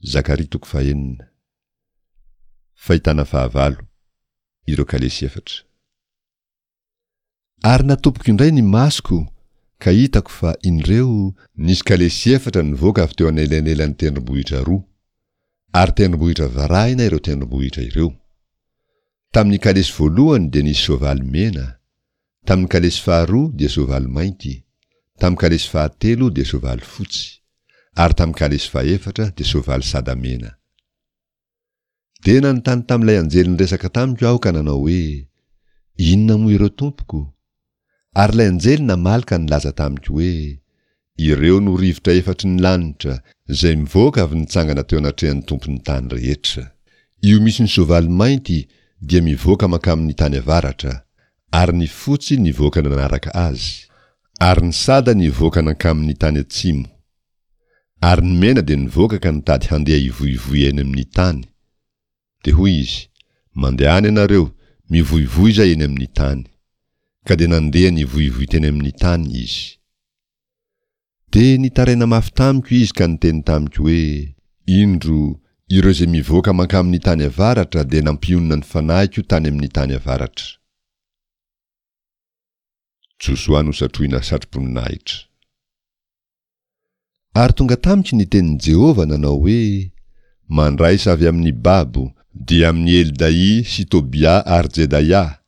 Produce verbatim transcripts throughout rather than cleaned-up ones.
Zakaria toko fahenina. Fahitana fahavalo, ireo kalesy efatra. Ary natopiko indray ny masoko ka hitako fa indreo, nisy kalesy efatra nivoaka avy teo anelanelan'ny tendrombohitra roa, ary tendrombohitra varahina ireo tendrombohitra ireo. Tamin'ny kalesy voalohany dia nisy soavaly mena, tamin'ny kalesy faharoa dia soavaly mainty, tamin'ny kalesy fahatelo dia soavaly fotsy, ary tamin'ny kalesy fahefatra dia soavaly sada mena. Dia nanontany tamin'ilay anjely niresaka tamiko aho ka nanao hoe, Inona moa ireo tompoko? Ary ilay anjely namaly ka nilaza tamiko hoe, Ireo no rivotra efatry ny lanitra, izay mivoaka avy nitsangana teo anatrehan'ny Tompon'ny tany rehetra. Io misy ny soavaly mainty dia mivoaka mankamin'ny tany avaratra, ary ny fotsy nivoaka nanaraka azy, ary ny sada nivoaka nankamin'ny tany atsimo. Ary ny mena dia nivoaka ka nitady handeha hivoivoy eny amin'ny tany. Dia hoy izy, Mandehana ianareo, mivoivoiza eny amin'ny tany. Ka dia nandeha nivoivoy teny amin'ny tany izy. Dia nitaraina mafy tamiko izy ka niteny tamiko hoe, Indro, ireo izay mivoaka mankamin'ny tany avaratra dia nampionona ny fanahiko tany amin'ny tany avaratra. Josoa nosatrohina satroboninahitra. Ary tonga tamiko ny tenin'i Jehovah nanao hoe, Mandraisa avy amin'ny babo, dia amin'i Heldaia sy Tobia ary Jedaia,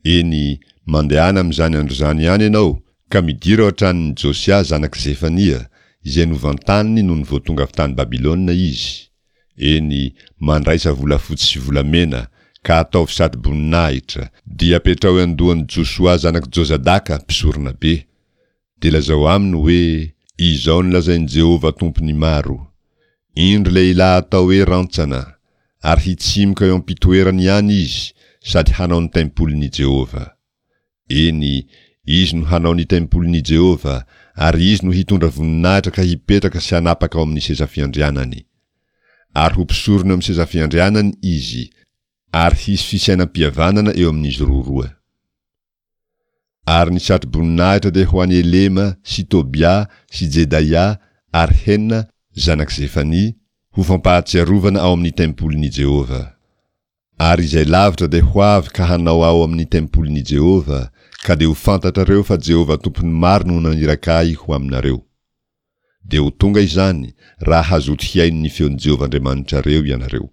eny, mandehana amin'izany andro izany ihany ianao, ka midira ao an-tranon'i Josia zanak'i Zefania, izay novantaniny nony vao tonga avy tany Babylona izy, eny, mandraisa volafotsy sy volamena, ka ataovy satroboninahitra, dia apetraho eo an-dohan'i Josoa zanak'i Jozadaka mpisoronabe. Dia lazao aminy hoe, Izao no lazain'i Jehovah Tompon'ny maro, Indro lehilahy atao hoe Rantsana, ary hitsimoka eo am-pitoerany ihany izy sady hanao ny tempolin'i Jehovah. Eny, izy no hanao ny tempolin'i Jehovah, ary izy no hitondra voninahitra ka hipetraka sy hanapaka ao amin'ny seza fiandrianany. Ary ho mpisorona eo amin'ny seza fiandrianany izy, ary hisy fisainam-pihavanana eo amin'izy roroa. Ary ny satroboninahitra dia ho an'i Elema sy Tobia sy Jedaia ary Hena, zanak'i Zefania, ho fampahatsiarovana ao amin'ny tempolin'i Jehovah. Ary izay lavitra dia ho avy ka hanao ao amin'ny tempolin'i Jehovah, ka dia ho fantatrareo fa Jehovah Tompon'ny maro no naniraka ahy ho aminareo. Dia ho tonga izany, raha hazoto hihaino ny feon'i Jehovah Andriamanitrareo ianareo.